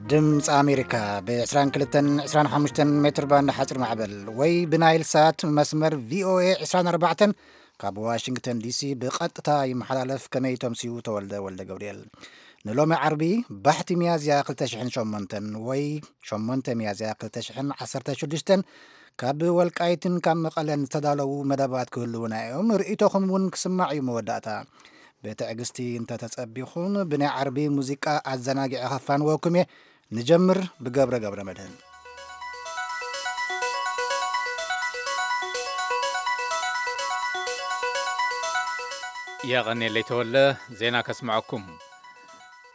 ድምፂ ኣሜሪካ ብ22 25 ሜትር ባንድ ሓፂር ማዕበል ወይ ብናይል ሳት መስመር ቪኦኤ 24 ካብ ዋሽንግተን ዲሲ ብቐጥታ ይመሓላለፍ። ከመይ ተምስዩ? ተወልደ ወልደ ገብርኤል። ንሎሚ ዓርቢ ባሕቲ ሚያዝያ 2008 ወይ 8 ሚያዝያ 2016 ካብ ወልቃይትን ካብ መቐለን ዝተዳለዉ መደባት ክህልዉና እዮም። ርእይቶኹም እውን ክስማዕ እዩ። መወዳእታ ብትዕግስቲ እንተተጸቢኹም ብናይ ዓርቢ ሙዚቃ ኣዘናጊዐ ከፋንወኩም እየ። ንጀምር ብገብረ ገብረ መድህን። የቐኔለይ ተወለ። ዜና ከስምዐኩም።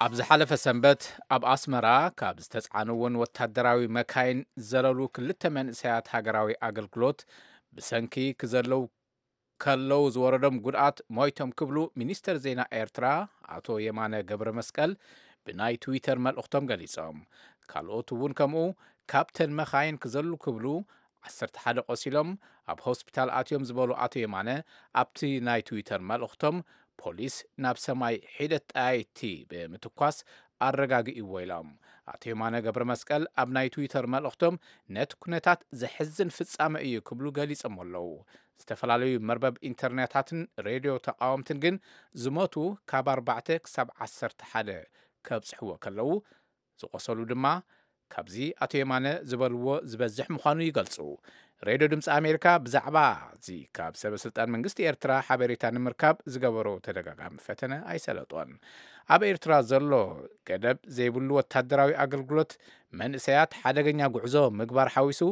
ኣብ ዝሓለፈ ሰንበት ኣብ ኣስመራ ካብ ዝተጻዕንወን ወታደራዊ መካይን ዝዘለሉ ክልተ መንእሰያት ሃገራዊ ኣገልግሎት ብሰንኪ ክዘለው ከለው ዝወረዶም ጉድኣት ሞይቶም ክብሉ ሚኒስተር ዜና ኤርትራ ኣቶ የማነ ገብረ መስቀል ብናይ ትዊተር መልእኽቶም ገሊጾም። ካልኦት እውን ከምኡ ካብተን መኻይን ክዘሉ ክብሉ 11 ቆሲሎም ኣብ ሆስፒታል ኣትዮም ዝበሉ ኣቶ የማነ፣ ኣብቲ ናይ ትዊተር መልእኽቶም ፖሊስ ናብ ሰማይ ሒደት ጠያይቲ ብምትኳስ ኣረጋጊእዎ ኢሎም። ኣቶ የማነ ገብረ መስቀል ኣብ ናይ ትዊተር መልእኽቶም ነቲ ኩነታት ዘሕዝን ፍጻመ እዩ ክብሉ ገሊጾም ኣለዉ። ዝተፈላለዩ መርበብ ኢንተርኔታትን ሬድዮ ተቃወምትን ግን ዝሞቱ ካብ ኣርባዕተ ክሳብ ዓሰርተ ሓደ ከብጽሕዎ ከለዉ፣ ዝቆሰሉ ድማ ካብዚ ኣቶ የማነ ዝበልዎ ዝበዝሕ ምዃኑ ይገልጹ። ሬድዮ ድምፂ ኣሜሪካ ብዛዕባ እዚ ካብ ሰበ ስልጣን መንግስቲ ኤርትራ ሓበሬታ ንምርካብ ዝገበሮ ተደጋጋሚ ፈተነ ኣይሰለጦን። ኣብ ኤርትራ ዘሎ ገደብ ዘይብሉ ወታደራዊ ኣገልግሎት መንእሰያት ሓደገኛ ጉዕዞ ምግባር ሓዊሱ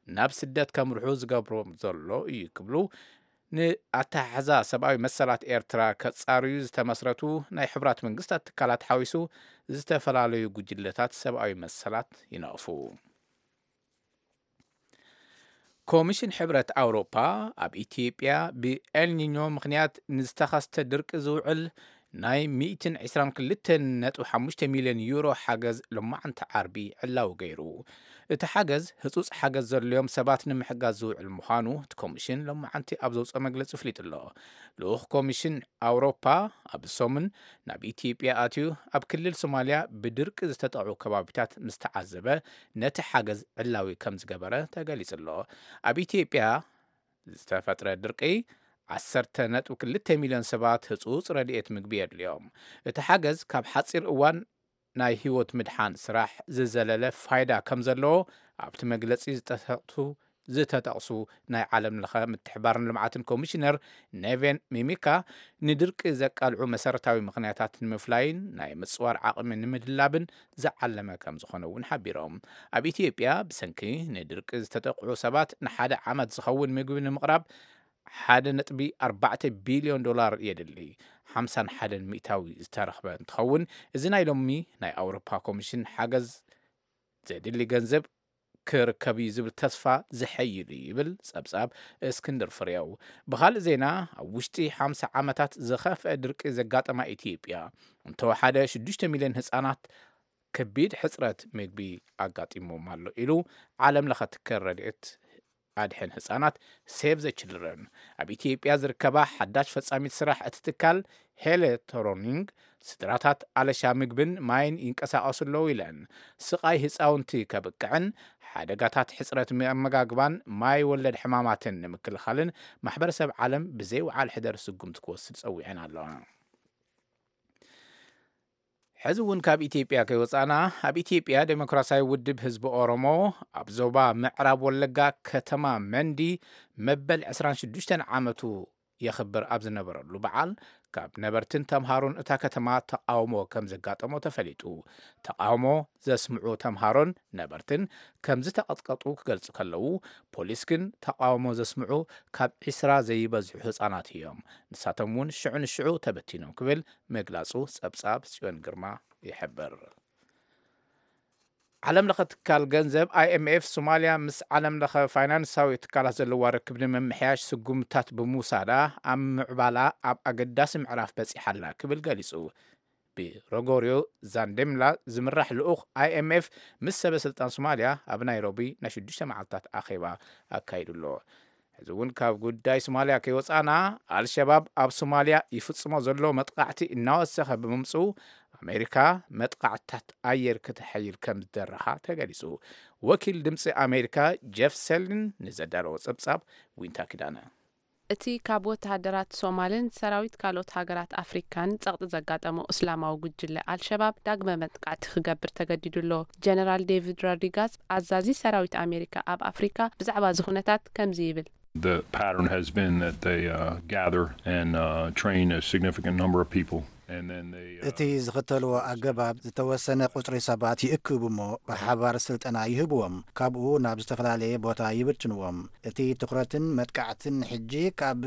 ናብ ስደት ከምርሑ ዝገብሮም ዘሎ እዩ ክብሉ ንኣተሓሕዛ ሰብኣዊ መሰላት ኤርትራ ከጻርዩ ዝተመስረቱ ናይ ሕቡራት መንግስታት ትካላት ሓዊሱ ዝተፈላለዩ ጉጅለታት ሰብኣዊ መሰላት ይነቕፉ። ኮሚሽን ሕብረት ኣውሮፓ ኣብ ኢትዮጵያ ብኤልኒኞ ምኽንያት ንዝተኸስተ ድርቂ ዝውዕል ናይ 122.5 ሚልዮን ዩሮ ሓገዝ ሎማዓንቲ ዓርቢ ዕላዊ ገይሩ። እቲ ሓገዝ ህጹጽ ሓገዝ ዘድልዮም ሰባት ንምሕጋዝ ዝውዕል ምዃኑ እቲ ኮሚሽን ሎማዓንቲ ኣብ ዘውፅኦ መግለጺ ኣፍሊጡ ኣሎ። ልኡኽ ኮሚሽን ኣውሮፓ ኣብ ሰሙን ናብ ኢትዮጵያ ኣትዩ ኣብ ክልል ሶማልያ ብድርቂ ዝተጠቕዑ ከባቢታት ምስ ተዓዘበ ነቲ ሓገዝ ዕላዊ ከም ዝገበረ ተገሊጹ ኣሎ። ኣብ ኢትዮጵያ ዝተፈጥረ ድርቂ 10.2 ሚልዮን ሰባት ህጹጽ ረድኤት ምግቢ የድልዮም። እቲ ሓገዝ ካብ ሓጺር እዋን ናይ ህይወት ምድሓን ስራሕ ዝዘለለ ፋይዳ ከም ዘለዎ ኣብቲ መግለጺ ዝተጠቕሱ ዝተጠቕሱ ናይ ዓለም ለኸ ምትሕባርን ልምዓትን ኮሚሽነር ኔቬን ሚሚካ፣ ንድርቂ ዘቃልዑ መሰረታዊ ምኽንያታት ንምፍላይን ናይ ምጽዋር ዓቕሚ ንምድላብን ዝዓለመ ከም ዝኾነ እውን ሓቢሮም። ኣብ ኢትዮጵያ ብሰንኪ ንድርቂ ዝተጠቕዑ ሰባት ንሓደ ዓመት ዝኸውን ምግቢ ንምቕራብ 1.4 ቢልዮን ዶላር የድሊ። 51 ሚእታዊ ዝተረኽበ እንትኸውን፣ እዚ ናይ ሎሚ ናይ ኣውሮፓ ኮሚሽን ሓገዝ ዘድሊ ገንዘብ ክርከብ እዩ ዝብል ተስፋ ዝሐይል እዩ ይብል ጸብጻብ እስክንድር ፍሬው። ብኻልእ ዜና፣ ኣብ ውሽጢ ሓምሳ ዓመታት ዝኸፍአ ድርቂ ዘጋጠማ ኢትዮጵያ፣ እንተወሓደ ሽዱሽተ ሚልዮን ህጻናት ከቢድ ሕጽረት ምግቢ ኣጋጢሞም ኣሎ ኢሉ ዓለም ለኸ ትካል ረድኤት ኣድሕን ህጻናት ሴቭ ዘ ችልድረን። ኣብ ኢትዮጵያ ዝርከባ ሓዳሽ ፈጻሚት ስራሕ እቲ ትካል ሄለ ቶሮኒንግ፣ ስድራታት ኣለሻ ምግብን ማይን ይንቀሳቐሱ ኣለዉ ኢለን። ስቓይ ህፃውንቲ ከብቅዕን ሓደጋታት ሕፅረት መመጋግባን ማይ ወለድ ሕማማትን ንምክልኻልን ማሕበረሰብ ዓለም ብዘይወዓል ሕደር ስጉምቲ ክወስድ ጸዊዐን ኣለዋ። ሕዚ እውን ካብ ኢትዮጵያ ከይወፃና፣ ኣብ ኢትዮጵያ ዴሞክራሲያዊ ውድብ ህዝቢ ኦሮሞ ኣብ ዞባ ምዕራብ ወለጋ ከተማ መንዲ መበል 26 ዓመቱ የኽብር ኣብ ዝነበረሉ በዓል፣ ካብ ነበርትን ተምሃሮን እታ ከተማ ተቃውሞ ከም ዘጋጠሞ ተፈሊጡ። ተቃውሞ ዘስምዑ ተምሃሮን ነበርትን ከም ዝተቐጥቀጡ ክገልጹ ከለዉ፣ ፖሊስ ግን ተቃውሞ ዘስምዑ ካብ 20 ዘይበዝሑ ህጻናት እዮም፣ ንሳቶም እውን ሽዑ ንሽዑ ተበቲኖም ክብል ምግላጹ ጸብጻብ ጽዮን ግርማ ይሕብር። ዓለም ለኸ ትካል ገንዘብ ኣይ ኤም ኤፍ፣ ሶማልያ ምስ ዓለም ለኸ ፋይናንሳዊ ትካላት ዘለዋ ርክብ ንምምሕያሽ ስጉምታት ብምውሳዳ ኣብ ምዕባላ ኣብ ኣገዳሲ ምዕራፍ በጺሓ ኣላ ክብል ገሊጹ። ብሮጎርዮ ዛንዴምላ ዝምራሕ ልኡኽ ኣይ ኤም ኤፍ ምስ ሰበ ስልጣን ሶማልያ ኣብ ናይሮቢ ናይ ሽዱሽተ መዓልታት ኣኼባ ኣካይዱ ኣሎ። ሕዚ እውን ካብ ጉዳይ ሶማልያ ከይወፃና፣ ኣልሸባብ ኣብ ሶማልያ ይፍፅሞ ዘሎ መጥቃዕቲ እናወሰኸ ብምምፅኡ፣ ኣሜሪካ መጥቃዕትታት ኣየር ክተሐይል ከም ዝደረኻ ተገሊጹ። ወኪል ድምፂ ኣሜሪካ ጀፍ ሰሊን ንዘዳለዎ ጸብጻብ ዊንታ ኪዳነ። እቲ ካብ ወተሃደራት ሶማልን ሰራዊት ካልኦት ሃገራት ኣፍሪካን ጸቕጢ ዘጋጠሞ እስላማዊ ጉጅለ ኣልሸባብ ዳግመ መጥቃዕቲ ክገብር ተገዲዱ ኣሎ። ጀነራል ዴቪድ ሮድሪጋስ፣ ኣዛዚ ሰራዊት ኣሜሪካ ኣብ ኣፍሪካ፣ ብዛዕባ እዚ ኩነታት ከምዚ ይብል። The pattern has been that they uh, gather and uh, train a significant number of people, and then they. Uh, እቲ ዝኽተልዎ ኣገባብ ዝተወሰነ ቁጽሪ ሰባት ይእክቡ እሞ ብሓባር ስልጠና ይህብዎም፣ ካብኡ ናብ ዝተፈላለየ ቦታ ይብትንዎም። እቲ ትኹረትን መጥቃዕትን ሕጂ ካብ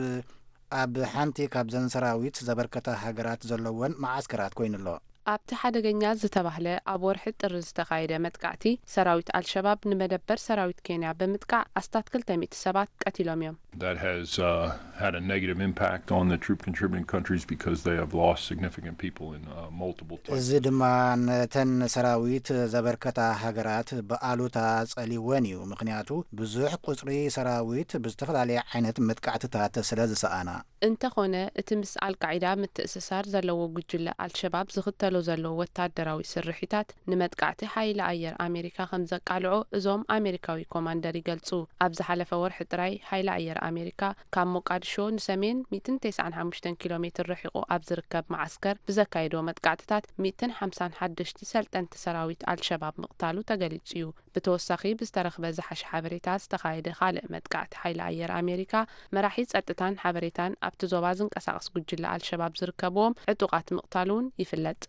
ኣብ ሓንቲ ካብዘን ሰራዊት ዘበርከታ ሃገራት ዘለወን መዓስከራት ኮይኑ ኣሎ። ኣብቲ ሓደገኛ ዝተባህለ ኣብ ወርሒ ጥሪ ዝተኻየደ መጥቃዕቲ፣ ሰራዊት ኣልሸባብ ንመደበር ሰራዊት ኬንያ ብምጥቃዕ ኣስታት ክልተ ሚእቲ ሰባት ቀቲሎም እዮም። That has uh, had a negative impact on the troop contributing countries because they have lost significant people in uh, multiple places. እዚ ድማ ነተን ሰራዊት ዘበርከታ ሃገራት ብኣሉታ ጸሊወን እዩ። ምኽንያቱ ብዙሕ ቁጽሪ ሰራዊት ብዝተፈላለየ ዓይነት መጥቃዕትታት ስለ ዝሰኣና። እንተኾነ፣ እቲ ምስ ኣልቃዒዳ ምትእስሳር ዘለዎ ጉጅለ ኣልሸባብ ዝኽተሎ ዘሎ ወታደራዊ ስርሒታት ንመጥቃዕቲ ሓይሊ ኣየር ኣሜሪካ ከም ዘቃልዖ እዞም ኣሜሪካዊ ኮማንደር ይገልጹ። ኣብ ዝሓለፈ ወርሒ ጥራይ፣ ሓይሊ ኣየር ኣሜሪካ ካብ ሞቃዲሾ ንሰሜን ሚእትን ተስዓን ሓሙሽተን ኪሎ ሜትር ርሒቑ ኣብ ዝርከብ መዓስከር ብዘካየዶ መጥቃዕትታት ሚእትን ሓምሳን ሓደሽቲ ሰልጠንቲ ሰራዊት ኣልሸባብ ምቕታሉ ተገሊጹ እዩ። ብተወሳኺ፣ ብዝተረኽበ ዝሓሸ ሓበሬታ ዝተኻየደ ካልእ መጥቃዕቲ ሓይሊ ኣየር ኣሜሪካ፣ መራሒ ጸጥታን ሓበሬታን ኣብቲ ዞባ ዝንቀሳቐስ ጉጅለ ኣልሸባብ ዝርከብዎም ዕጡቓት ምቕታሉ እውን ይፍለጥ።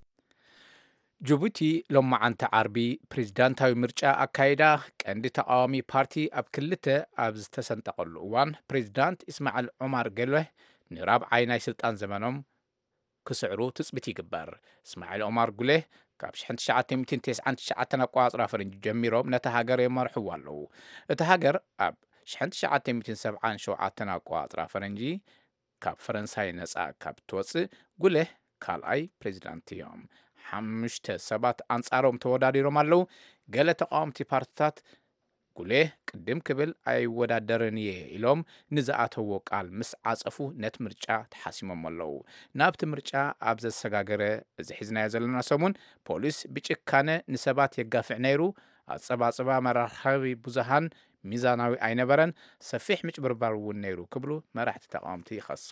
ጅቡቲ ሎማዓንቲ ዓርቢ ፕሬዝዳንታዊ ምርጫ ኣካይዳ፣ ቀንዲ ተቓዋሚ ፓርቲ ኣብ ክልተ ኣብ ዝተሰንጠቐሉ እዋን፣ ፕሬዝዳንት እስማዕል ዑማር ገሎህ ንራብዓይ ናይ ስልጣን ዘመኖም ክስዕሩ ትጽቢት ይግበር። እስማዒል ኦማር ጉሌህ ካብ ሽሕን ትሽዓተ ሚእትን ተስዓን ትሽዓተን ኣቆጻጽራ ፈረንጂ ጀሚሮም ነታ ሃገር የመርሕዋ ኣለዉ። እታ ሃገር ኣብ ሽሕን ትሽዓተ ሚእትን ሰብዓን ሸውዓተን ኣቆጻጽራ ፈረንጂ ካብ ፈረንሳይ ነጻ ካብ ትወጽእ፣ ጉሌህ ካልኣይ ፕሬዚዳንት እዮም። ሓሙሽተ ሰባት ኣንጻሮም ተወዳዲሮም ኣለዉ። ገለ ተቃወምቲ ፓርትታት ጉሌህ ቅድም ክብል ኣይወዳደርን እየ ኢሎም ንዝኣተዎ ቃል ምስ ዓጸፉ፣ ነቲ ምርጫ ተሓሲሞም ኣለዉ። ናብቲ ምርጫ ኣብ ዘሰጋገረ፣ እዚ ሒዝናዮ ዘለና ሰሙን፣ ፖሊስ ብጭካነ ንሰባት የጋፍዕ ነይሩ፣ ኣጸባጽባ መራኸቢ ብዙሃን ሚዛናዊ ኣይነበረን፣ ሰፊሕ ምጭብርባር እውን ነይሩ ክብሉ መራሕቲ ተቃወምቲ ይኸሱ።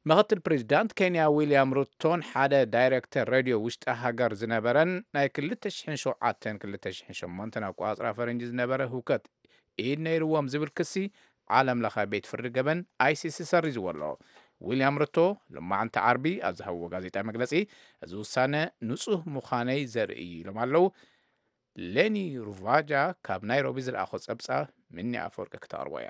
ምኽትል ፕሬዚዳንት ኬንያ ዊልያም ሩቶን ሓደ ዳይሬክተር ሬድዮ ውሽጢ ሃገር ዝነበረን ናይ ክልተ ሽሕን ሸውዓተን ክልተ ሽሕን ሸሞንተን ኣቆጻጽራ ፈረንጂ ዝነበረ ህውከት ኢድ ነይርዎም ዝብል ክሲ ዓለም ለኸ ቤት ፍርዲ ገበን ኣይሲሲ ሰሪዝዎ ኣሎ። ዊልያም ሩቶ ሎማዕንቲ ዓርቢ ኣብ ዝሃብዎ ጋዜጣ መግለጺ፣ እዚ ውሳነ ንጹህ ምዃነይ ዘርኢ እዩ ኢሎም ኣለዉ። ሌኒ ሩቫጃ ካብ ናይሮቢ ዝለኣኾ ጸብጻብ ምኒ ኣፈወርቂ ክተቕርቦ እያ።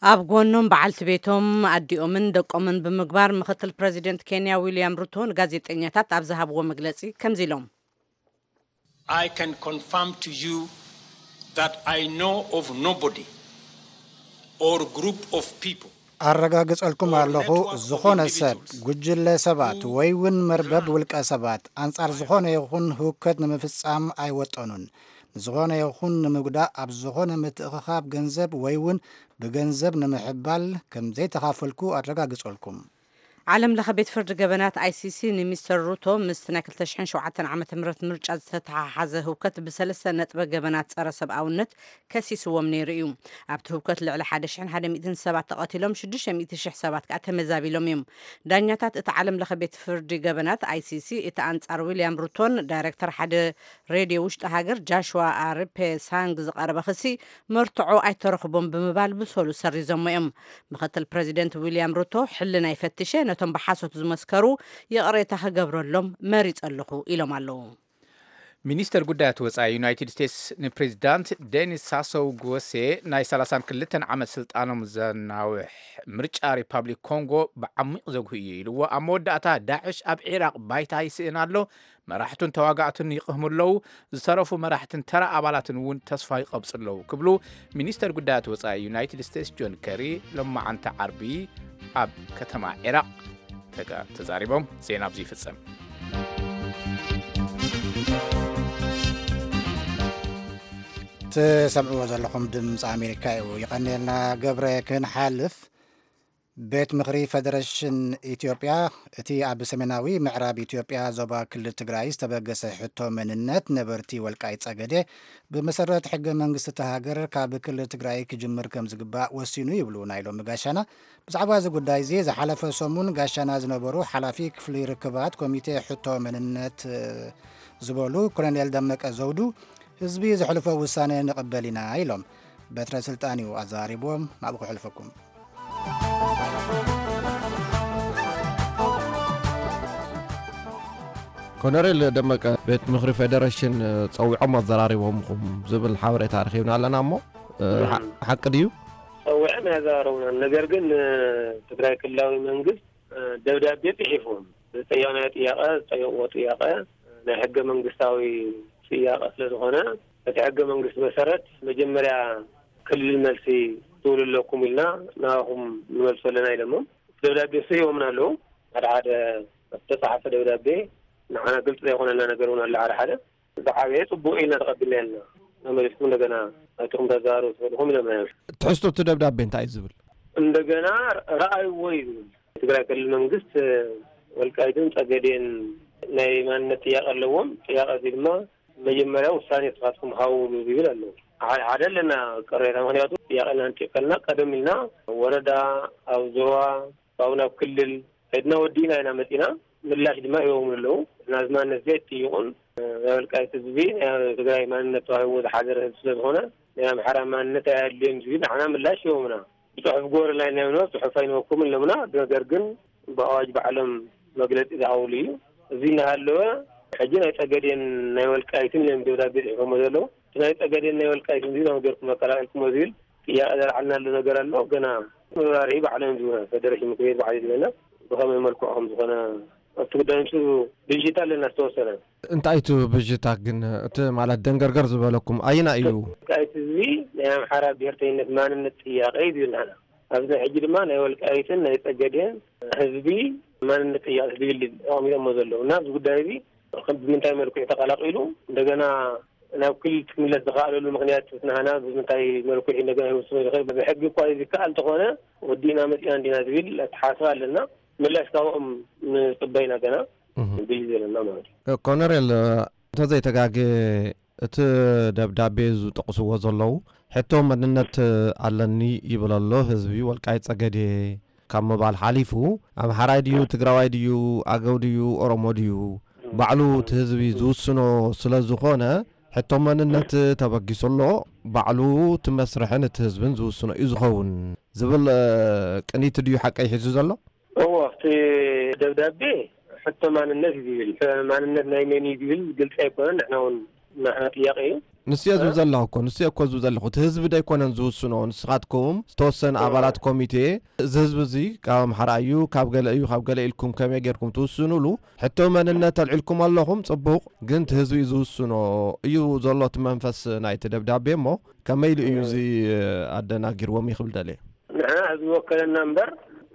ኣብ ጎኖም በዓልቲ ቤቶም ኣዲኦምን ደቆምን ብምግባር ምክትል ፕረዚደንት ኬንያ ዊልያም ሩቶ ንጋዜጠኛታት ኣብ ዝሃብዎ መግለጺ ከምዚ ኢሎም። I can confirm to you that I know of nobody or group of people. ኣረጋግጸልኩም ኣለኹ ዝኾነ ሰብ፣ ጉጅለ ሰባት ወይ እውን መርበብ ውልቀ ሰባት ኣንጻር ዝኾነ ይኹን ህውከት ንምፍጻም ኣይወጠኑን። ንዝኾነ ይኹን ንምጉዳእ ኣብ ዝኾነ ምትእኽኻብ ገንዘብ ወይ እውን ብገንዘብ ንምሕባል ከም ዘይተኻፈልኩ ኣረጋግጸልኩም። ዓለም ለኸ ቤት ፍርዲ ገበናት ኣይሲሲ ንሚስተር ሩቶ ምስቲ ናይ ክልተ ሽሕን ሸውዓተን ዓመተ ምህረት ምርጫ ዝተተሓሓዘ ህውከት ብሰለስተ ነጥበ ገበናት ጸረ ሰብኣውነት ከሲስዎም ነይሩ እዩ። ኣብቲ ህውከት ልዕሊ ሓደ ሽሕን ሓደ ሚእትን ሰባት ተቐቲሎም፣ ሽዱሽተ ሚእቲ ሽሕ ሰባት ከኣ ተመዛቢሎም እዮም። ዳኛታት እቲ ዓለም ለኸ ቤት ፍርዲ ገበናት ኣይሲሲ እቲ ኣንጻር ዊልያም ሩቶን ዳይረክተር ሓደ ሬድዮ ውሽጢ ሃገር ጃሽዋ ኣርፔ ሳንግ ዝቐረበ ክሲ መርትዖ ኣይተረኽቦም ብምባል ብሰሉ ሰሪዞሞ እዮም። ምክትል ፕረዚደንት ዊልያም ሩቶ ሕልና ይፈትሸ፣ ነቶም ብሓሶት ዝመስከሩ ይቕሬታ ክገብረሎም መሪጸ ኣለኹ ኢሎም ኣለዉ። ሚኒስተር ጉዳያት ወጻኢ ዩናይትድ ስቴትስ ንፕሬዚዳንት ዴኒስ ሳሶው ጉወሴ ናይ ሰላሳን ክልተን ዓመት ስልጣኖም ዘናውሕ ምርጫ ሪፓብሊክ ኮንጎ ብዓሚቕ ዘጉህ እዩ ኢልዎ። ኣብ መወዳእታ ዳዕሽ ኣብ ዒራቕ ባይታ ይስእን ኣሎ፣ መራሕቱን ተዋጋእቱን ይቕህሙ ኣለዉ፣ ዝተረፉ መራሕትን ተራ ኣባላትን እውን ተስፋ ይቐብጹ ኣለዉ ክብሉ ሚኒስተር ጉዳያት ወጻኢ ዩናይትድ ስቴትስ ጆን ከሪ ሎማዓንቲ ዓርቢ ኣብ ከተማ ዒራቕ ተጋ- ተዛሪቦም። ዜና ኣብዚ ይፍጸም። ትሰምዕዎ ዘለኹም ድምፂ ኣሜሪካ እዩ። ይቐንየልና ገብረ። ክንሓልፍ ቤት ምኽሪ ፌደሬሽን ኢትዮጵያ፣ እቲ ኣብ ሰሜናዊ ምዕራብ ኢትዮጵያ ዞባ ክልል ትግራይ ዝተበገሰ ሕቶ መንነት ነበርቲ ወልቃይት ጸገዴ፣ ብመሰረት ሕገ መንግስቲ እታ ሃገር ካብ ክልል ትግራይ ክጅምር ከም ዝግባእ ወሲኑ ይብሉ ናይ ሎሚ ጋሻና። ብዛዕባ እዚ ጉዳይ እዚ ዝሓለፈ ሰሙን ጋሻና ዝነበሩ ሓላፊ ክፍሊ ርክባት ኮሚቴ ሕቶ መንነት ዝበሉ ኮሎኔል ደመቀ ዘውዱ፣ ህዝቢ ዘሕልፎ ውሳነ ንቕበል ኢና ኢሎም። በትረ ስልጣን እዩ ኣዘራሪብዎም። ናብኡ ክሕልፈኩም። ኮነሬል ደመቀ፣ ቤት ምኽሪ ፌደሬሽን ጸዊዖም ኣዘራሪቦምኹም ዝብል ሓበሬታ ረኺብና ኣለና እሞ፣ ሓቂ ድዩ? ጸዊዖም ኣዘራረቡና። ነገር ግን ትግራይ ክልላዊ መንግስት ደብዳቤ ጽሒፎም ዝጠየቕናዮ ጥያቐ፣ ዝጠየቕዎ ጥያቐ ናይ ሕገ መንግስታዊ ጥያቐ ስለ ዝኾነ፣ እቲ ሕገ መንግስቲ መሰረት መጀመርያ ክልል መልሲ ትብሉ ኣለኩም ኢልና ናባኹም ንመልሶ ኣለና ኢሎሞም። ደብዳቤ እሱ ሂቦምና ኣለዉ። ሓደ ሓደ ዝተጻሓፈ ደብዳቤ ንዓና ግልፂ ዘይኮነልና ነገር እውን ኣሎ። ሓደ ሓደ ዝዓበየ ጽቡቕ ኢልና ተቐቢልና ኣለና። ተመሊስኩም እንደገና ናትኹም ተዛሩ ትፈልኹም ኢሎምና እዮም። ትሕዝቶ እቲ ደብዳቤ እንታይ እዩ ዝብል? እንደገና ረኣይዎ እዩ ዝብል። ትግራይ ክልል መንግስት ወልቃይትን ጸገዴን ናይ ማንነት ጥያቄ ኣለዎም። ጥያቄ እዚ ድማ መጀመርያ ውሳኔ ንስኻትኩም ሃውሉ ዝብል ኣሎ። ሓደ ሓደ ኣለና ቅሬታ፣ ምክንያቱ ጥያቄና እንጥየቀልና ቀደም ኢልና ወረዳ፣ ኣብ ዞባ፣ ካብኡ ናብ ክልል ከድና ወዲእና ኢና መፂና። ምላሽ ድማ ሂቦም ኣለዉ። ናዚ ማንነት እዚ ኣይትጥይቁን፣ ናይ ወልቃይት ህዝቢ ናይ ትግራይ ማንነት ተዋሂብዎ ዝሓደረ ህዝቢ ስለዝኾነ ናይ ኣምሓራ ማንነት ኣየድልዮን ዝብል ንዓና ምላሽ ሂቦምና። ብፅሑፍ ግበሩልና ኢልና፣ ጽሑፍ ኣይንበኩም ኣለምና። ነገር ግን ብኣዋጅ ባዕሎም መግለጺ ዝሃብሉ እዩ። እዚ እናሃለወ ሕጂ ናይ ጸገዴን ናይ ወልቃይትን እዮም ደብዳቤ ጽሒፎሞ ዘለዉ። እቲ ናይ ጸገዴን ናይ ወልቃይትን እዚ ነው ገርኩም መቀላቀልኩሞ ዝብል ጥያቄ ዘልዓልናሉ ነገር ኣሎ። ገና መብራርሂ ባዕሎም ዝህቡና፣ ፌደሬሽን ምክር ቤት ባዕሉ ዝህበና ብኸመይ መልክዑ ከም ዝኾነ ኣብቲ ጉዳይ ንሱ ብዥታ ኣለና ዝተወሰነ። እንታይ እቲ ብዥታ ግን? እቲ ማለት ደንገርገር ዝበለኩም ኣየና እዩ? ወልቃይት ህዝቢ ናይ ኣምሓራ ብሄርተኝነት ማንነት ጥያቄ እዩ ዝብል ንሕና። ኣብዚ ሕጂ ድማ ናይ ወልቃይትን ናይ ጸገዴን ህዝቢ ማንነት ጥያቄ ዝብል እዩ ኣቐሚጦሞ ዘለዉ። እና ኣብዚ ጉዳይ እዚ ከም ብምንታይ መልክዑ ተቐላቂሉ እንደገና ናብ ክልል ክምለስ ዝኸኣለሉ ምኽንያት ናህና ብምንታይ መልክዑ እንደገና ይወስኖ ዝኽእል? ብሕጊ እኳ ዝከኣል እንተኾነ ወዲእና መፂና እንዲና ዝብል ኣተሓሳስባ ኣለና። ምላሽ ካብኦም ንፅበይና ገና እህ። ብዩ ዘለና ማለት እዩ። ኮነሬል፣ እንተዘይተጋጌ እቲ ደብዳቤ ዝጠቕስዎ ዘለዉ ሕቶ መንነት ኣለኒ ይብል ኣሎ ህዝቢ ወልቃይት ጸገዴ ካብ ምባል ሓሊፉ ኣምሓራይ ድዩ፣ ትግራዋይ ድዩ፣ ኣገው ድዩ፣ ኦሮሞ ድዩ፣ ባዕሉ እቲ ህዝቢ ዝውስኖ ስለ ዝኾነ፣ ሕቶ መንነት ተበጊሱ ኣሎ፣ ባዕሉ እቲ መስርሕን እቲ ህዝብን ዝውስኖ እዩ ዝኸውን ዝብል፣ እ፣ ቅኒት ድዩ ሓቀይ ሒዙ ዘሎ? እዎ፣ ኣብቲ ደብዳቤ ሕቶ ማንነት እዩ ዝብል። ማንነት ናይ መን እዩ ዝብል ግልፂ ኣይኮነን። ንሕና እውን ንሕና ጥያቄ እዩ። ንሱ እየ ዝብል ዘለኹ እኮ፣ ንሱ እየ እኮ ዝብል ዘለኹ። እቲ ህዝቢ ዶ ኣይኮነን ዝውስኖ? ንስኻትኩም ዝተወሰነ እዎ። ኣባላት ኮሚቴ፣ እዚ ህዝቢ እዚ ካብ ኣምሓራ እዩ፣ ካብ ገለ እዩ፣ ካብ ገለ ኢልኩም ከመይ ጌርኩም ትውስኑሉ? ሕቶ መንነት ኣልዒልኩም ኣለኹም፣ ጽቡቕ። ግን እቲ ህዝቢ እዩ ዝውስኖ እዩ ዘሎ እቲ መንፈስ ናይቲ ደብዳቤ እሞ፣ ከመይ ኢሉ እዩ እዎ። እዚ ኣደናጊርዎም ይኽብል ደልየ? ንሕና ህዝቢ ወከለና እምበር፣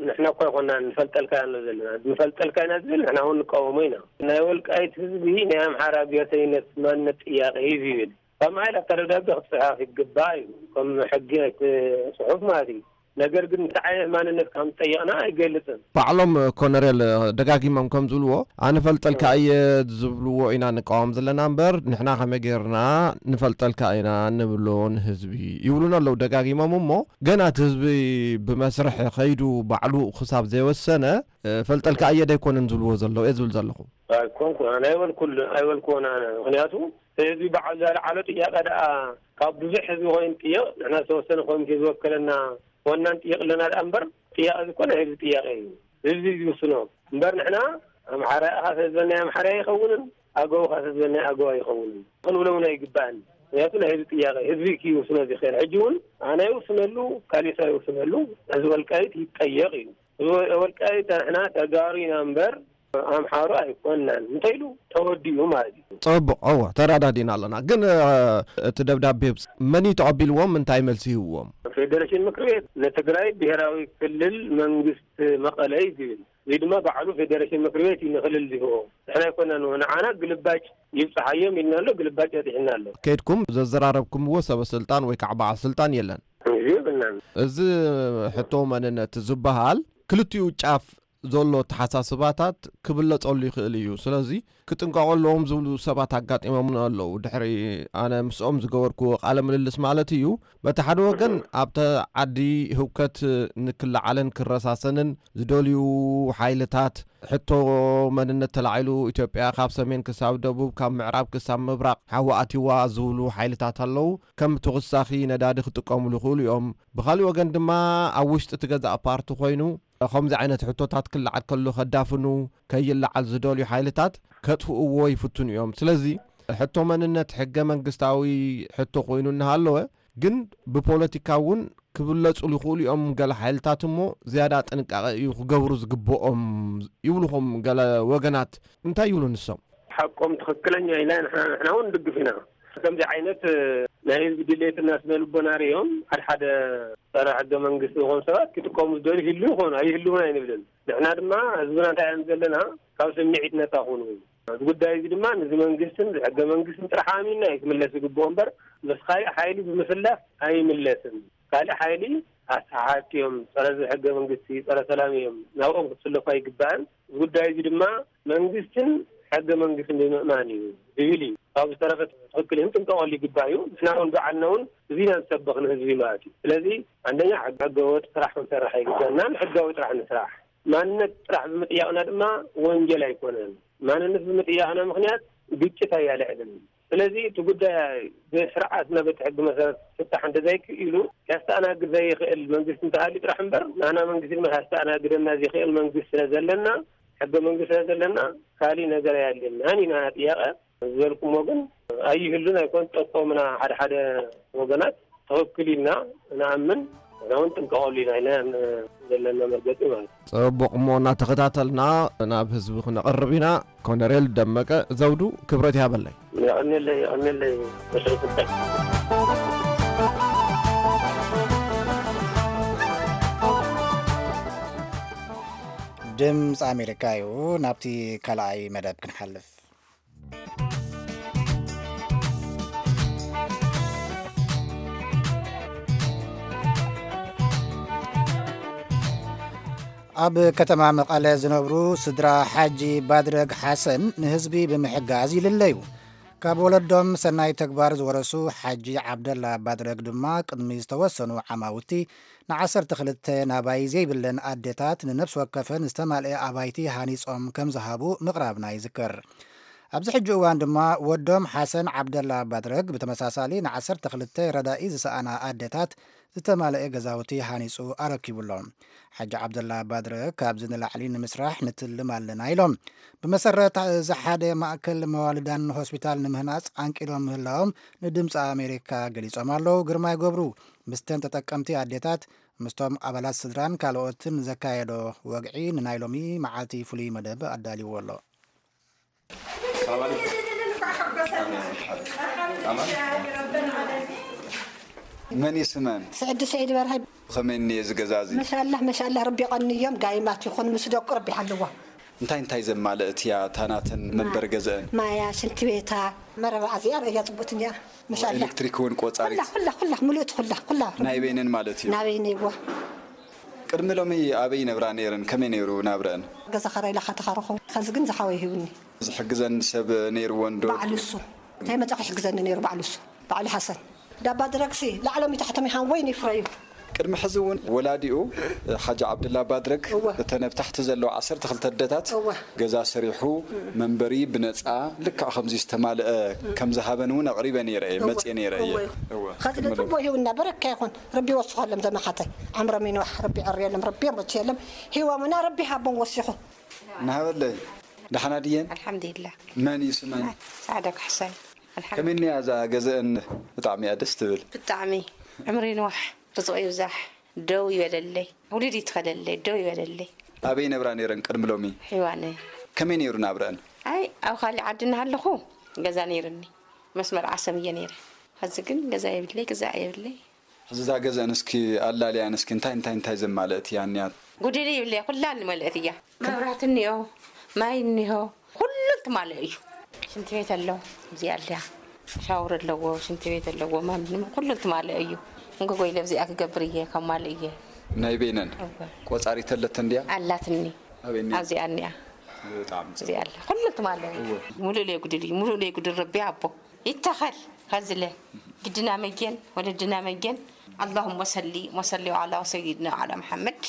ንሕና እኳ ኣይኮናን ንፈልጠልካ ኢና ዘለና። ንፈልጠልካ ኢና ዝብል ንሕና እውን ንቃወሞ ኢና። ናይ ወልቃይት ህዝቢ ናይ ኣምሓራ ብሄርተኝነት ማንነት ጥያቄ እዩ ዝብል። ካብ ማይል ኣብታ ደብዳቤ ክትፅሓፍ ይግባእ እዩ። ከም ሕጊ ናይቲ ፅሑፍ ማለት እዩ። ነገር ግን እንታይ ዓይነት ማንነት ከም ዝጠየቕና ኣይገልፅን። ባዕሎም ኮነሬል ደጋጊሞም ከም ዝብልዎ፣ ኣነ ፈልጠልካ እየ ዝብልዎ ኢና ንቃወም ዘለና እምበር፣ ንሕና ከመይ ጌርና ንፈልጠልካ ኢና ንብሎ ንህዝቢ ይብሉና ኣለዉ ደጋጊሞም። እሞ ገና እቲ ህዝቢ ብመስርሕ ከይዱ ባዕሉ ክሳብ ዘይወሰነ፣ እ፣ ፈልጠልካ እየ ደይኮነን ዝብልዎ ዘለዉ እየ ዝብል ዘለኹ። ኣይኮንኩን፣ ኣነ ኣይበልኩል-፣ ኣይበልኩዎን ኣነ። ምኽንያቱ ህዝቢ ባዕሉ ዘልዓሎ ጥያቄ ደኣ ካብ ብዙሕ ህዝቢ ኮይኑ ጥየቕ፣ ንሕና ዝተወሰነ ኮሚቴ ዝወከለና ኮና ንጥየቕ ኣለና ደኣ እምበር፣ ጥያቄ እዚ እኮ ናይ ህዝቢ ጥያቄ እዩ። ህዝቢ እዩ ዝውስኖ። እምበር ንሕና ኣምሓራ ኢኻ ስለ ዝበልና ኣምሓራ ኣይኸውንን፣ ኣገው ኢኻ ስለ ዝበልና ኣገው ኣይኸውንን ክንብሎ እውን ኣይግባእን። ምኽንያቱ ናይ ህዝቢ ጥያቄ፣ ህዝቢ እዩ ክውስኖ ዝኽእል። ሕጂ እውን ኣነ ይውስነሉ፣ ካሊእ ሰብ ይውስነሉ፣ ህዝቢ ወልቃይት ይጠየቕ እዩ። ህዝቢ ወልቃይት ንሕና ተጋሩ ኢና እምበር ኣምሓሩ ኣይኮንናን እንተኢሉ ተወዲኡ ማለት እዩ። ጽቡቕ፣ እወ፣ ተረዳዲና ኣለና። ግን፣ እ፣ እቲ ደብዳቤ መን እዩ ተቐቢልዎም? እንታይ መልሲ ይህብዎም? ፌዴሬሽን ምክር ቤት ንትግራይ ብሄራዊ ክልል መንግስቲ መቐለ እዩ ዝብል። እዚ ድማ ባዕሉ ፌዴሬሽን ምክር ቤት እዩ ንክልል ዝህቦ። ንሕና ኣይኮናን፣ ንዓና ግልባጭ ይብፅሓዮም ኢልና ኣሎ፣ ግልባጭ በፂሕና ኣሎ። ከይድኩም ዘዘራረብኩምዎ ሰበ ስልጣን ወይ ከዓ በዓል ስልጣን የለን? እዚ ይብልናን። እዚ ሕቶ መንነት ዝበሃል ክልቲኡ ጫፍ ዘሎ ኣተሓሳስባታት ክብለጸሉ ይኽእል እዩ። ስለዚ ክጥንቀቑ ኣለዎም ዝብሉ ሰባት ኣጋጢሞምና ኣለዉ። ድሕሪ ኣነ ምስኦም ዝገበርክዎ ቃለ ምልልስ ማለት እዩ። በቲ ሓደ ወገን ኣብቲ ዓዲ ህውከት ንክለዓልን ክረሳሰንን ዝደልዩ ሓይልታት፣ ሕቶ መንነት ተላዒሉ፣ ኢትዮጵያ ካብ ሰሜን ክሳብ ደቡብ፣ ካብ ምዕራብ ክሳብ ምብራቕ ሓዊ ኣትይዋ ዝብሉ ሓይልታት ኣለዉ። ከም ተወሳኺ ነዳዲ ክጥቀሙሉ ይኽእሉ እዮም። ብኻሊእ ወገን ድማ ኣብ ውሽጢ እቲ ገዛእ ፓርቲ ኮይኑ ከምዚ ዓይነት ሕቶታት ክለዓል ከሎ ከዳፍኑ፣ ከይለዓል ዝደልዩ ሓይልታት ከጥፍእዎ ይፍትኑ እዮም። ስለዚ ሕቶ መንነት ሕገ መንግስታዊ ሕቶ ኮይኑ እናሃለወ፣ ግን ብፖለቲካ እውን ክብለጹሉ ይኽእሉ እዮም። ገለ ሓይልታት እሞ ዝያዳ ጥንቃቐ እዩ ክገብሩ ዝግብኦም ይብሉኹም ገለ ወገናት። እንታይ ይብሉ ንሶም? ሓቆም ትኽክለኛ ኢላ ንሕና ንሕና እውን ንድግፍ ኢና። ከምዚ ዓይነት ናይ ህዝቢ ድሌትና ስነ ልቦና ርእዮም ሓደ ሓደ ጸረ ሕገ መንግስቲ ዝኾኑ ሰባት ክጥቀሙ ዝደልዩ ይህልዉ ይኾኑ ኣይህልውን ኣይንብልን። ንሕና ድማ ህዝብና እንታይ እዮም ዘለና ካብ ስምዒት ነፃ ኩኑ። እዚ ጉዳይ እዚ ድማ ነዚ መንግስትን ሕገ መንግስትን ጥራሕ ኣሚንና እዩ ክምለስ ዝግብኦ እምበር ምስ ካሊእ ሓይሊ ብምስላፍ ኣይምለስን። ካልእ ሓይሊ ኣሰሓሓቲ እዮም፣ ጸረ ሕገ መንግስቲ፣ ጸረ ሰላም እዮም፣ ናብኦም ክትስለፉ ኣይግባእን። እዚ ጉዳይ እዚ ድማ መንግስትን ሕገ መንግስትን ብምእማን እዩ ዝብል እዩ። ካብ ዝተረፈ ትኽክል እዮም፣ ጥንቀቐሉ ይግባእ እዩ። ንሕና እውን ባዕልና እውን እዚ ኢና ንሰብኽ ንህዝቢ ማለት እዩ። ስለዚ አንደኛ ሕገ ወጥ ስራሕ ክንሰርሕ ኣይግባእናን፣ ሕጋዊ ጥራሕ ንስራሕ። ማንነት ጥራሕ ብምጥያቕና ድማ ወንጀል ኣይኮነን። ማንነት ብምጥያቕና ምኽንያት ግጭት ኣያልዕልን። ስለዚ እቲ ጉዳይ ብስርዓትና በቲ ሕጊ መሰረት ክፍታሕ እንተዘይክኢሉ ከስተኣናግድ ዘይኽእል መንግስቲ እንተሃልዩ ጥራሕ እምበር ንሕና መንግስቲ ድማ ከስተኣናግደና ዘይኽእል መንግስቲ ስለ ዘለና ሕገ መንግስቲ ስለ ዘለና ካሊእ ነገር ኣየድልየናን ኢና ጥያቐ ዝበልኩሞ ግን ኣይህሉን ኣይኮን ጠቆምና ሓደ ሓደ ወገናት ትኽክል ኢልና ንኣምን ንሕና እውን ጥንቀቐሉ ኢና ኢልና ዘለና መርገፂ ማለት እዩ። ጽቡቕ እሞ እናተኸታተልና ናብ ህዝቢ ክነቕርብ ኢና። ኮነሬል ደመቀ ዘውዱ ክብረት ይሃበለይ። የቐንየለይ የቐንየለይ። ድምፂ ኣሜሪካ እዩ። ናብቲ ካልኣይ መደብ ክንሓልፍ። ኣብ ከተማ መቐለ ዝነብሩ ስድራ ሓጂ ባድረግ ሓሰን ንህዝቢ ብምሕጋዝ ይልለዩ። ካብ ወለዶም ሰናይ ተግባር ዝወረሱ ሓጂ ዓብደላ ባድረግ ድማ ቅድሚ ዝተወሰኑ ዓማውቲ ንዓሰርተ ክልተ ናባይ ዘይብለን ኣዴታት ንነፍሲ ወከፈን ዝተማልአ ኣባይቲ ሃኒጾም ከም ዝሃቡ ምቕራብና ይዝከር። ኣብዚ ሕጂ እዋን ድማ ወዶም ሓሰን ዓብደላ ባድረግ ብተመሳሳሊ ንዓሰርተ ክልተ ረዳኢ ዝሰኣና ኣዴታት ዝተማልአ ገዛውቲ ሃኒጹ ኣረኪቡ ኣሎ። ሓጂ ዓብደላ ባድረግ ካብዚ ንላዕሊ ንምስራሕ ንትልም ኣለና ኢሎም። ብመሰረት እዚ ሓደ ማእከል መዋልዳን ሆስፒታል ንምህናጽ ዓንቂሎም ምህላዎም ንድምፂ ኣሜሪካ ገሊጾም ኣለዉ። ግርማይ ገብሩ ምስተን ተጠቀምቲ ኣዴታት ምስቶም ኣባላት ስድራን ካልኦትን ዘካየዶ ወግዒ ንናይ ሎሚ መዓልቲ ፍሉይ መደብ ኣዳልይዎ ኣሎ። መን ይስመን? ስዕዲ ስዒድ በርሀ። ብኸመይ እኒኤ እዚ ገዛ እዚ? መሻላህ መሻላህ ረቢ ቀንዮም ጋይማት ይኹን ምስ ደቁ ረቢ ሓልዋ። እንታይ እንታይ ዘማለእት እያ እታ ናተን መንበሪ ገዘአን? ማያ፣ ሽንቲ ቤታ፣ መረባ እዚኣ ርእያ ጽቡቅት እኒኣ። መሻላህ። ኤሌክትሪክ እውን ቆጻሪት? ኩላ ኩላ ኩላ ምሉእት ኩላ ኩላ። ናይ በይነን ማለት እዩ? ናበይነይ እዋ። ቅድሚ ሎሚ ኣበይ ይነብራ ነይረን? ከመይ ነይሩ ናብረአን? ገዛ ኻራ ኢላ ኻተኻረኹ ኸዚ ግን ዝሓወይ ሂቡኒ። ዝሕግዘን ሰብ ነይርወን ዶ? ባዕሉ እሱ እንታይ መጻ ክሕግዘኒ ነይሩ ባዕሉ እሱ ባዕሉ ሓሰን ዳባ ድረግሲ ላዕሎም ይታሕቶም ይሃን ወይን ይፍረዩ። ቅድሚ ሕዚ እውን ወላዲኡ ሓጂ ዓብድላ ባድረግ እወ። እተን ኣብ ታሕቲ ዘለዋ ዓሰርተ ክልተ ኣደታት እወ። ገዛ ሰሪሑ መንበሪ ብነፃ ልክዕ ከምዚ ዝተማልአ ከም ዝሃበን እውን ኣቕሪበ ነይረ እየ እወ። መፅየ ነይረ እየ እወ። እወ። ኸዚ ቅድሚ ሎሚ። ንፅቡቅ ይሁንና በረካ ይኹን ረቢ ይወስኸሎም ዘመሓተይ ዓምሮም ይንዋሕ ረቢ ዕርየሎም ረቢ የሞችየሎም ሂወሙና ረቢ ሃቦም ወሲኹ ናሃበለይ ደሓና ድየን ኣልሓምዱሊላ መን እዩ ስመን ሰዓዳ ካሕሳይ ኣልሓምዱሊላ ከመይ እኒኣ እዛ ገዘአን ብጣዕሚ እያ ደስ ትብል ብጣዕሚ ዕምሪ ንዋሕ ርዝቑ ይብዛሕ ደው ይበለለይ ውሉድ ይትኸለለይ ደው ይበለለይ ኣበይ ነብራ ነይረን ቅድሚ ሎሚ ሒዋነ ከመይ ነይሩ ናብረአን ኣይ ኣብ ካሊእ ዓዲ እናሃለኹ ገዛ ነይርኒ መስመር ዓሰም እየ ነይረ ሐዚ ግን ገዛ የብለይ ግዛዕ የብለይ ሕዚ እዛ ገዘአን እስኪ ኣላልያን እስኪ እንታይ እንታይ እንታይ ዘማለእት እያ እኒኣ? ጎደለ ይብለያ ኩላ ንመልእት እያ። መብራህቲ እኒኦ፣ ማይ እኒሆ፣ ኩሉ ትማልእ እዩ። ሽንቲ ቤት ኣሎ፣ እዚኣ ኣልያ ሻወር ኣለዎ፣ ሽንቲ ቤት ኣለዎ፣ ማንም ኩሉ ትማልእ እዩ። እንጎጎ ኢለ ኣብዚኣ ክገብር እየ፣ ከማልእ እየ። ናይ በይነን እወ። ቆጻሪት ኣለተን ድያ? ኣላትኒ። ኣበይ እኒኣ? ኣብዚኣ እኒኣ። ብጣዕሚ ጽቡቕ። እዚኣ ኣላ። ኩሉ ትማል እዩ። እወ። ሙሉእ ለይጉድል እዩ። ሙሉእ ለይጉድል ረቢ ኣቦ። ይተኸል። ከዝለ። ግድና መጌን፣ ወለድና መጌን። ኣላሁመ ሰሊ ወሰሊ ዓላ ሰይድና ዓላ መሓመድ።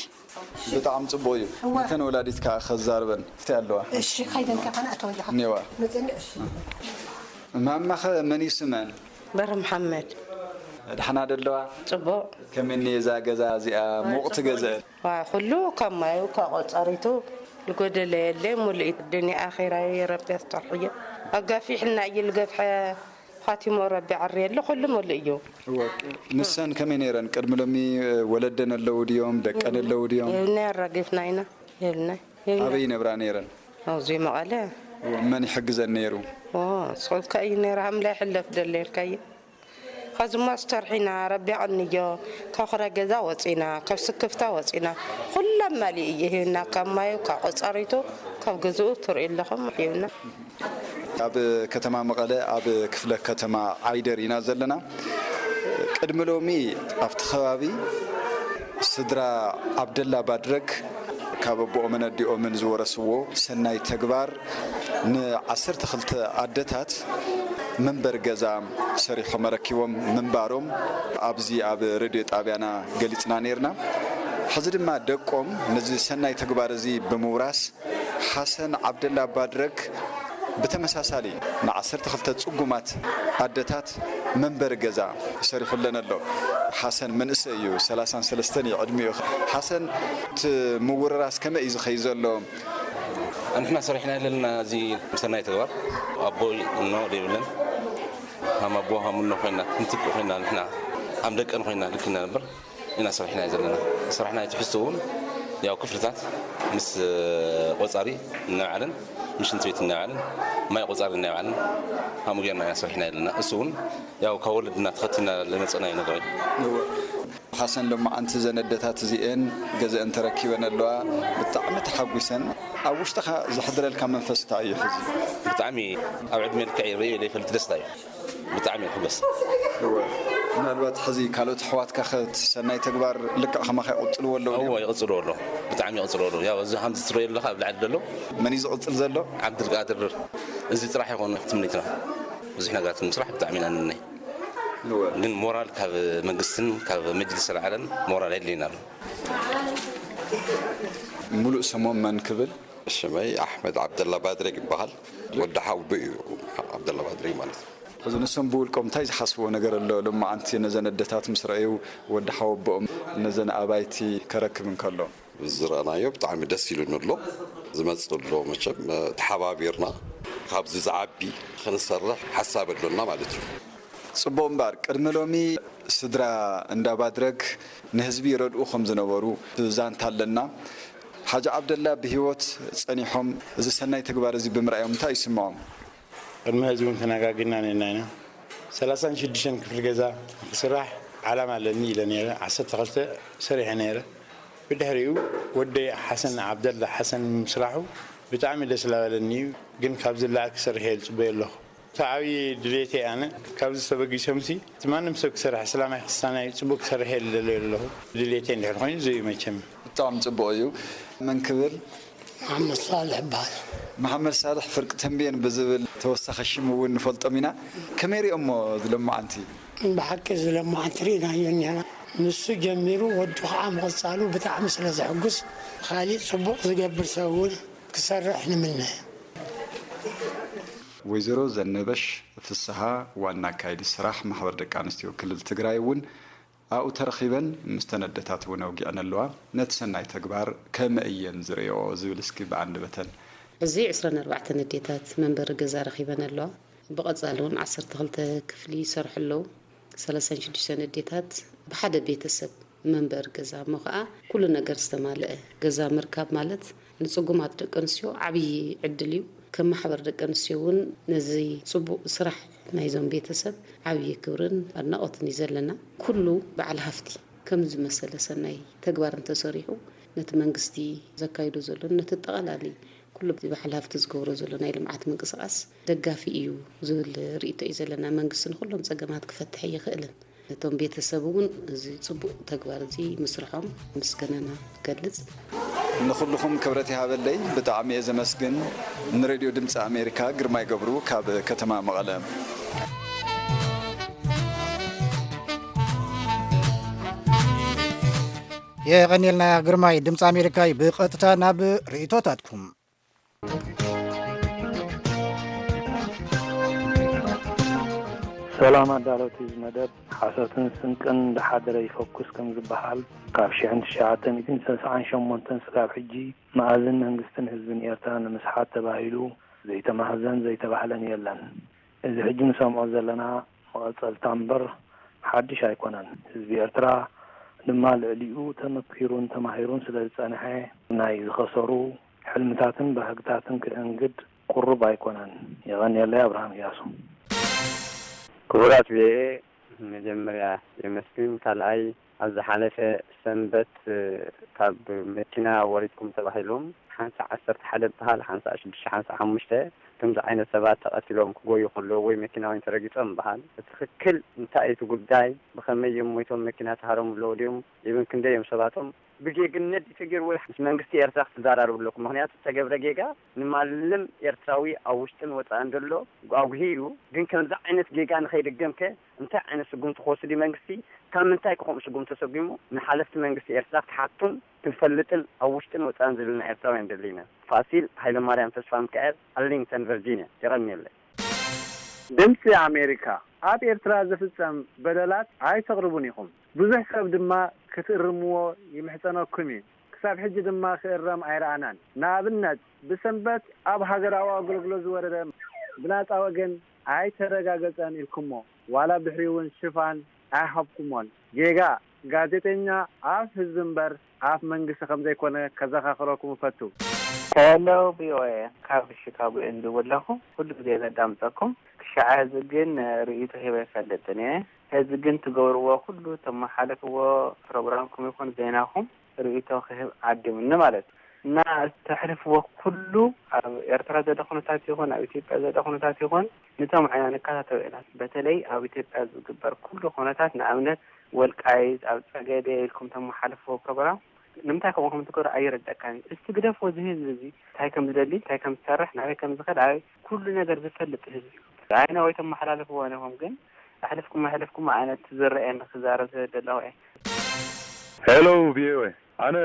ብጣዕሚ ጽቡቕ እዩ። እወ። እተን ወላዲት ከኣ ከዛርበን። ፍትያ ኣለዋ። እሺ፣ ከይደን ከፈና እተወጃኻ። እኔዋ። መጽእኒ፣ እሺ። ማማኸ መን እዩ ስመን? በረ መሓመድ። ደሓና ዶ ኣለዋ? ጽቡቕ። ከመይ እኒየ እዛ ገዛ እዚኣ? ሙቕቲ ገዛ። ዋ፣ ኩሉ ካብ ማዩ፣ ካብ ቆጸሪቱ፣ ዝጎደለ የለ፣ ሙሉእ እዩ። ዱንያ ኣኼራይ ረቢ ኣስተርሕዮ። ኣጋፊሕና እዩ ዝገፍሐ፣ ኻቲሞ ረቢ ዓርየሉ፣ ኩሉ ሙሉእ እዩ። እወ። ንሰን ከመይ ነይረን? ቅድሚ ሎሚ ወለደን ኣለዉ ድዮም? ደቀን ኣለዉ ድዮም? የብልና፣ ኣራጊፍና ኢና። የብልና፣ የብልና። ኣበይ ይነብራ ነይረን? ኣብዚ መቐለ። እወ። መን ይሕግዘን ነይሩ? ኦ፣ ስኹልካ እዩ ነይሩ፣ ሃምላ ይሕለፍ ደለ ኢልካዮ። ኸዚ እሞ ኣስተርሒና፣ ረቢ ኣቕንዮ፣ ካብ ኹረ ገዛ ወፂና፣ ካብ ስክፍታ ወፂና፣ ኩሎም መሊኡ እዩ ሂብና፣ ካብ ማዩ፣ ካብ ቆፃሪቱ፣ ካብ ገዝኡ ትርእዩ ኣለኹም ሂብና። ኣብ ከተማ መቐለ፣ ኣብ ክፍለ ከተማ ዓይደር ኢና ዘለና። ቅድሚ ሎሚ ኣብቲ ከባቢ ስድራ ዓብደላ ባድረግ ካብ ኣቦኦምን ኣዲኦምን ዝወረስዎ ሰናይ ተግባር ንዓሰርተ ክልተ ኣደታት መንበሪ ገዛ ሰሪሖም ኣረኪቦም ምንባሮም ኣብዚ ኣብ ሬድዮ ጣብያና ገሊጽና ነይርና። ሕዚ ድማ ደቆም ነዚ ሰናይ ተግባር እዚ ብምውራስ ሓሰን ዓብደላ ባድረግ ብተመሳሳሊ ንዓሰርተ ክልተ ጽጉማት ኣደታት መንበሪ ገዛ ሰሪሑለን ኣሎ። ሓሰን መንእሰይ እዩ፣ ሰላሳን ሰለስተን እዩ ዕድሚኡ። ሓሰን፣ እቲ ምውርራስ ከመይ እዩ ዝኸይድ ዘሎ? ንሕና ሰሪሕና ዘለና እዚ ሰናይ ተግባር ኣቦ እኖ ዘይብለን፣ ሃም ኣቦ ሃም እኖ ኮይና፣ ክንትክእ ኮይና፣ ንሕና ሃም ደቀን ኮይና ልክና ነበር። ኢና ሰሪሕና ዘለና። ሰሪሕና ትሕዝቶ እውን ያው ክፍልታት ምስ ቆጻሪ እናበዓለን፣ ምስ ሽንቲ ቤት እናበዓለን፣ ማይ ቆጻሪ እናበዓለን፣ ከምኡ ጌርና ኢና ሰሪሕና ዘለና። እሱ እውን ያው ካብ ወለድና ተኸቲልና ዝመጸናዮ ነገር እዩ። ሓሰን፣ ሎማዓንቲ ዘን ኣደታት እዚኤን ገዘአን ተረኪበን ኣለዋ። ብጣዕሚ ተሓጒሰን። ኣብ ውሽጥኻ ዘሕድረልካ መንፈስ እንታይ እዩ ሕዚ? ብጣዕሚ ኣብ ዕድመ ልክዕ ይርእዮ ዘይፈልጥ ደስታ እዩ። ብጣዕሚ ይሕጎስ። እወ። ምናልባት ሕዚ ካልኦት ኣሕዋትካ ኸ እቲ ሰናይ ተግባር ልክዕ ከማኻ ይቕጽልዎ ኣለዉ ድዮም? እወ፣ ይቕጽልዎ ኣለዉ። ብጣዕሚ ይቕጽልዎ ኣለዉ። ያው እዚ ከምዚ ትርእዮ ኣለኻ ኣብ ላዕሊ ዘሎ። መን እዩ ዝቕጽል ዘሎ? ዓብድልቃድር። እዚ ጥራሕ ይኾን ትምኒትና። ብዙሕ ነገራት ንምስራሕ ብጣዕሚ ኢና ንምነ። እወ። ግን ሞራል ካብ መንግስትን ካብ መጅልስ ኣልዓለን ሞራል የድልየና ኣሎ። ሙሉእ ስሞም መን ክብል? ሽመይ ኣሕመድ ዓብደላ ባድሬግ ይበሃል። ወዲ ሓውቦ እዩ ዓብደላ ባድሬግ ማለት። ሕዚ ንሶም ብውልቆም እንታይ ዝሓስብዎ ነገር ኣሎ? ሎማዓንቲ ነዘን ኣደታት ምስ ረኣዩ፣ ወዲ ሓወቦኦም ነዘን ኣባይቲ ከረክብ እንከሎ። ዝረኣናዮ ብጣዕሚ ደስ ኢሉኒ ኣሎ። ዝመጽእ ኣሎ መቸም፣ እ፣ ተሓባቢርና ካብዚ ዝዓቢ ክንሰርሕ ሓሳብ ኣሎና ማለት እዩ። ጽቡቕ እምበኣር፣ ቅድሚ ሎሚ ስድራ እንዳ ባድረግ ንህዝቢ ይረድኡ ከም ዝነበሩ ዛንታ ኣለና። ሓጂ ዓብደላ ብህይወት ጸኒሖም እዚ ሰናይ ተግባር እዚ ብምርኣዮም እንታይ ይስምዖም? ቅድሚ ሕዚ እውን ተነጋጊርና ነርና ኢና። ሰላሳን ሽዱሽተን ክፍሊ ገዛ ክስራሕ ዓላማ ኣለኒ ኢለ ነይረ። ዓሰርተ ክልተ ሰሪሐ ነይረ። ብድሕሪኡ ወደይ ሓሰን ዓብደላ ሓሰን ምስራሑ ብጣዕሚ ደስ ላበለኒ እዩ። ግን ካብዚ ላዕሊ ክሰርሕ እየ ዝጽበዮ ኣለኹ። እቲ ዓብዪ ድሌተይ ኣነ ካብዚ ተበጊሶምሲ እቲ ማንም ሰብ ክሰርሕ፣ እስላማይ ክርስቲያናይ ጽቡቕ ክሰርሕ እየ ዝደልዮ ኣለኹ። ድሌተይ እንድሕር ኮይኑ እዚ እዩ መቸም። ብጣዕሚ ጽቡቕ እዩ። መን ክብል? መሓመድ ሳልሕ ይበሃል። መሓመድ ሳልሕ ፍርቂ ተንቤን ብዝብል ተወሳኺ ሽም እውን ንፈልጦም ኢና። ከመይ ሪኦሞ እዚ ሎማዓንቲ? ብሓቂ እዚ ሎማዓንቲ ርኢናዮ እኒሀና። ንሱ ጀሚሩ ወዱ ከዓ ምቕጻሉ ብጣዕሚ ስለ ዘሕጉስ፣ ካሊእ ጽቡቕ ዝገብር ሰብ እውን ክሰርሕ ንምነ። ወይዘሮ ዘነበሽ ፍስሃ፣ ዋና ኣካያዲ ስራሕ ማሕበር ደቂ ኣንስትዮ ክልል ትግራይ እውን ኣብኡ ተረኺበን ምስተን ኣደታት እውን ኣውጊዐን ኣለዋ። ነቲ ሰናይ ተግባር ከመይ እየን ዝርእይኦ ዝብል እስኪ ብኣንደበተን። ሕዚ ዕስራን ኣርባዕተን ኣዴታት መንበሪ ገዛ ረኺበን ኣለዋ። ብቐጻሊ እውን ዓሰርተ ክልተ ክፍሊ ይሰርሑ ኣለዉ። ሰላሳን ሽዱሽተን ኣዴታት ብሓደ ቤተሰብ መንበሪ ገዛ እሞ ኸኣ ኩሉ ነገር ዝተማልአ ገዛ ምርካብ ማለት ንጽጉማት ደቂ ኣንስትዮ ዓብዪ ዕድል እዩ። ከም ማሕበር ደቂ ኣንስትዮ እውን ነዚ ጽቡቕ ስራሕ ናይዞም ቤተሰብ ዓብዪ ክብርን ኣድናቖትን እዩ ዘለና። ኩሉ በዓል ሃፍቲ ከምዚ ዝመሰለ ሰናይ ተግባር እንተሰሪሑ ነቲ መንግስቲ ዘካይዶ ዘሎ ነቲ ኣጠቓላሊ ኩሉ በዓል ሃፍቲ ዝገብሮ ዘሎ ናይ ልምዓት ምንቅስቓስ ደጋፊ እዩ ዝብል ርእይቶ እዩ ዘለና። መንግስቲ ንኹሎም ጸገማት ክፈትሕ ኣይኽእልን። ነቶም ቤተሰብ እውን እዚ ጽቡቕ ተግባር እዚ ምስርሖም ምስጋናና ንገልጽ። ንኹልኹም ክብረት ይሃበለይ። ብጣዕሚ እየ ዘመስግን። ንሬድዮ ድምፂ ኣሜሪካ ግርማይ ገብሩ ካብ ከተማ መቐለ። የቐኒልና ግርማይ። ድምፂ ኣሜሪካ እዩ። ብቐጥታ ናብ ርእይቶታትኩም። ሰላም ኣዳለውቲ እዚ መደብ። ሓሶትን ስንቅን እንዳሓደረ ይፈኩስ ከም ዝበሃል፣ ካብ ሽሕን ትሽዓተ ሚእትን ሰሳዓን ሸሞንተን ስጋብ ሕጂ መኣዝን መንግስትን ህዝብን ኤርትራ ንምስሓት ተባሂሉ ዘይተማህዘን ዘይተባህለን የለን። እዚ ሕጂ ንሰምዖ ዘለና መቐጸልታ እምበር ሓድሽ ኣይኮነን። ህዝቢ ኤርትራ ድማ ልዕሊኡ ተመኪሩን ተማሂሩን ስለ ዝጸንሐ፣ ናይ ዝኸሰሩ ሕልምታትን ባህግታትን ክእንግድ ቁሩብ ኣይኮነን። የቐንየለይ። ኣብርሃም እያሱ። ክቡራት ቪኦኤ፣ መጀመርያ የመስግን። ካልኣይ፣ ኣብ ዝሓለፈ ሰንበት ካብ መኪና ወሪድኩም ተባሂሎም ሓንሳእ ዓሰርተ ሓደ በሃል፣ ሓንሳእ ሽዱሽተ፣ ሓንሳእ ሓሙሽተ ከምዚ ዓይነት ሰባት ተቐቲሎም ክጎዩ ከለዉ ወይ መኪና ወይ ተረጊጾም በሃል። ብትኽክል እንታይ እዩ እቲ ጉዳይ? ብኸመይ እዮም ሞይቶም? መኪና ተሃረሙ ኣለዉ ድዮም? ኢብን ክንደይ እዮም ሰባቶም? ብጌግነት ተገይሩ ወይ ምስ መንግስቲ ኤርትራ ክትዘራረቡ ኣለኩም። ምኽንያቱ ዝተገብረ ጌጋ ንማንም ኤርትራዊ ኣብ ውሽጥን ወጻእን ዘሎ ኣጉሂ እዩ። ግን ከምዚ ዓይነት ጌጋ ንኸይድገም ከ እንታይ ዓይነት ስጉምቲ ክወስድ እዩ መንግስቲ? ካብ ምንታይ ከ ከምኡ ስጉምቲ ተሰጒሙ? ንሓለፍቲ መንግስቲ ኤርትራ ክትሓቱን ክንፈልጥን ኣብ ውሽጥን ወጻእን ዘለና ኤርትራውያን ደሊና። ፋሲል ሃይለማርያም ተስፋሚካኤል፣ ኣርሊንግተን ቨርጂንያ። የቐንየለይ። ድምጺ ኣሜሪካ፣ ኣብ ኤርትራ ዝፍጸም በደላት ኣይተቕርቡን ኢኹም። ብዙሕ ሰብ ድማ ክትእርምዎ ይምሕጸነኩም እዩ። ክሳብ ሕጂ ድማ ክእረም ኣይረኣናን። ንኣብነት፣ ብሰንበት ኣብ ሃገራዊ ኣገልግሎት ዝወረደ ብናጻ ወገን ኣይተረጋገጸን ኢልኩሞ፣ ዋላ ብድሕሪኡ እውን ሽፋን ኣይሃብኩሞን። ጌጋ ጋዜጠኛ ኣፍ ህዝቢ እምበር ኣፍ መንግስቲ ከም ዘይኮነ ከዘኻኽረኩም እፈቱ። ሄሎ ቪኦኤ፣ ካብ ሺካጎ እየ ዝድውል ኣለኹ። ኩሉ ግዜ ዘዳምጸኩም። ክሻዕ ሕዚ ግን ርእይቶ ሂበ ኣይፈልጥን እየ። ሕዚ ግን ትገብርዎ ኩሉ ተመሓልፍዎ ፕሮግራምኩም ይኹን ዜናኹም ርእይቶ ክህብ ዓዲሙኒ ማለት እዩ። እና እተሕልፍዎ ኩሉ ኣብ ኤርትራ ዘሎ ኩነታት ይኹን ኣብ ኢትዮጵያ ዘሎ ኩነታት ይኹን ንሰምዖ ኢና ንከታተሎ ኢና። በተለይ ኣብ ኢትዮጵያ ዝግበር ኩሉ ኩነታት ንኣብነት ወልቃይት ኣብ ጸገዴ ኢልኩም ተመሓልፍዎ ፕሮግራም ንምንታይ ከምኡ ከም ትገብሩ ኣይርደካን እዩ። እስቲ ግደፍዎ እዚ ህዝቢ እዚ እንታይ ከም ዝደሊ እንታይ ከም ዝሰርሕ ናበይ ከም ዝኸድ ኣበይ ኩሉ ነገር ዝፈልጥ ህዝቢ እዩ። ኣይና ወይ ተመሓላልፍዎ ኢኹም ግን ኣሕልፍኩም ኣሕልፍኩም ዓይነት ዝረኣየኒ ክዛረብ ዝደለኹ እየ። ሄሎ ቪኦኤ፣ ኣነ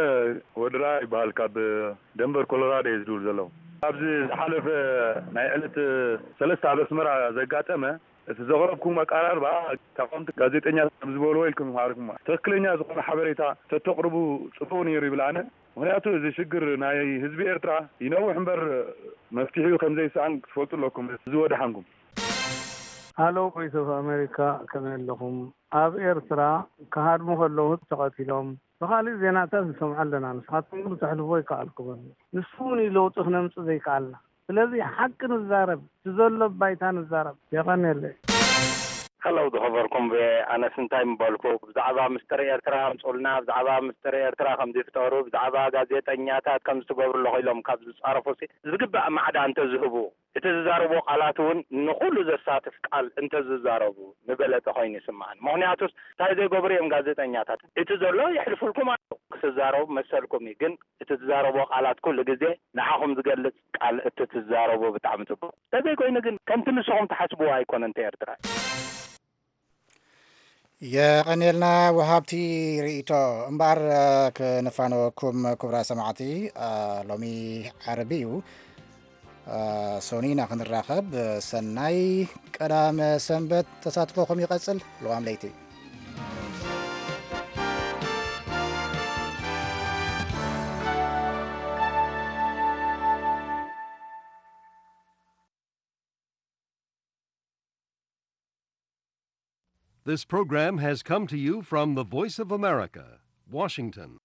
ወዲ ራያ ይበሃል፣ ካብ ደንቨር ኮሎራዶ እየ ዝድውል ዘለኹ። ኣብዚ ዝሓለፈ ናይ ዕለት ሰለስተ ኣብ ኣስመራ ዘጋጠመ እቲ ዘቕረብኩም ኣቀራርባ ተቓወምቲ ጋዜጠኛታት ከም ዝበልዎ ኢልኩም ኢኹም ኣቕሪብኩሞ። ትኽክለኛ ዝኾነ ሓበሬታ ተተቕርቡ ጽቡቕ ነይሩ ይብል ኣነ። ምኽንያቱ እዚ ሽግር ናይ ህዝቢ ኤርትራ ይነውሕ እምበር መፍትሒኡ ከም ዘይሰኣን ክትፈልጡ ኣለኩም። እዚ ወደሓንኩም። ሃሎ ቮይስ ኦፍ ኣሜሪካ ከመይ ኣለኹም? ኣብ ኤርትራ ክሃድሙ ከለዉ ተቐቲሎም ብኻሊእ ዜናታት ንሰምዖ ኣለና። ንስኻትኩም ግን ተሕልፍዎ ኣይከኣልኩምን። ንሱ እውን እዩ ለውጢ ክነምጽእ ዘይከኣልና። ስለዚ ሓቂ ንዛረብ፣ እቲ ዘሎ ባይታ ንዛረብ። የቐንየለይ። Hello ዝኸበርኩም ቪኦኤ፣ ኣነስ እንታይ ምበልኩ? ብዛዕባ ምስጢር ኤርትራ ኣምጹልና፣ ብዛዕባ ምስጢር ኤርትራ ከም ዝፍጠሩ፣ ብዛዕባ ጋዜጠኛታት ከም ዝትገብሩ ኣለኹ ኢሎም ካብ ዝጻረፉ ሲ ዝግባእ ማዕዳ እንተዝህቡ፣ እቲ ዝዛረብዎ ቃላት እውን ንኹሉ ዘሳትፍ ቃል እንተዝዛረቡ ምበለጸ ኮይኑ ይስምዓኒ። ምኽንያቱስ እንታይ ዘይገብሩ እዮም ጋዜጠኛታት? እቲ ዘሎ የሕልፉልኩም ኣለዉ። ክትዛረቡ መሰልኩም እዩ፣ ግን እቲ ትዛረብዎ ቃላት ኩሉ ግዜ ንዓኹም ዝገልጽ ቃል እትትዛረቡ ብጣዕሚ ጽቡቕ። ተዘይኮይኑ ግን ከምቲ ንስኹም ትሓስብዎ ኣይኮነን እቲ ኤርትራ። የቐንየልና ወሃብቲ ርእይቶ። እምበኣር፣ እ፣ ክነፋነወኩም ክቡራት ሰማዕቲ፣ እ፣ ሎሚ ዓርቢ እዩ። እ፣ ሶኒ ኢና ክንራኸብ። ሰናይ ቀዳመ ሰንበት። ተሳትፎኹም ይቐጽል። ልዋም ለይቲ። This program has come to you from the Voice of America, Washington.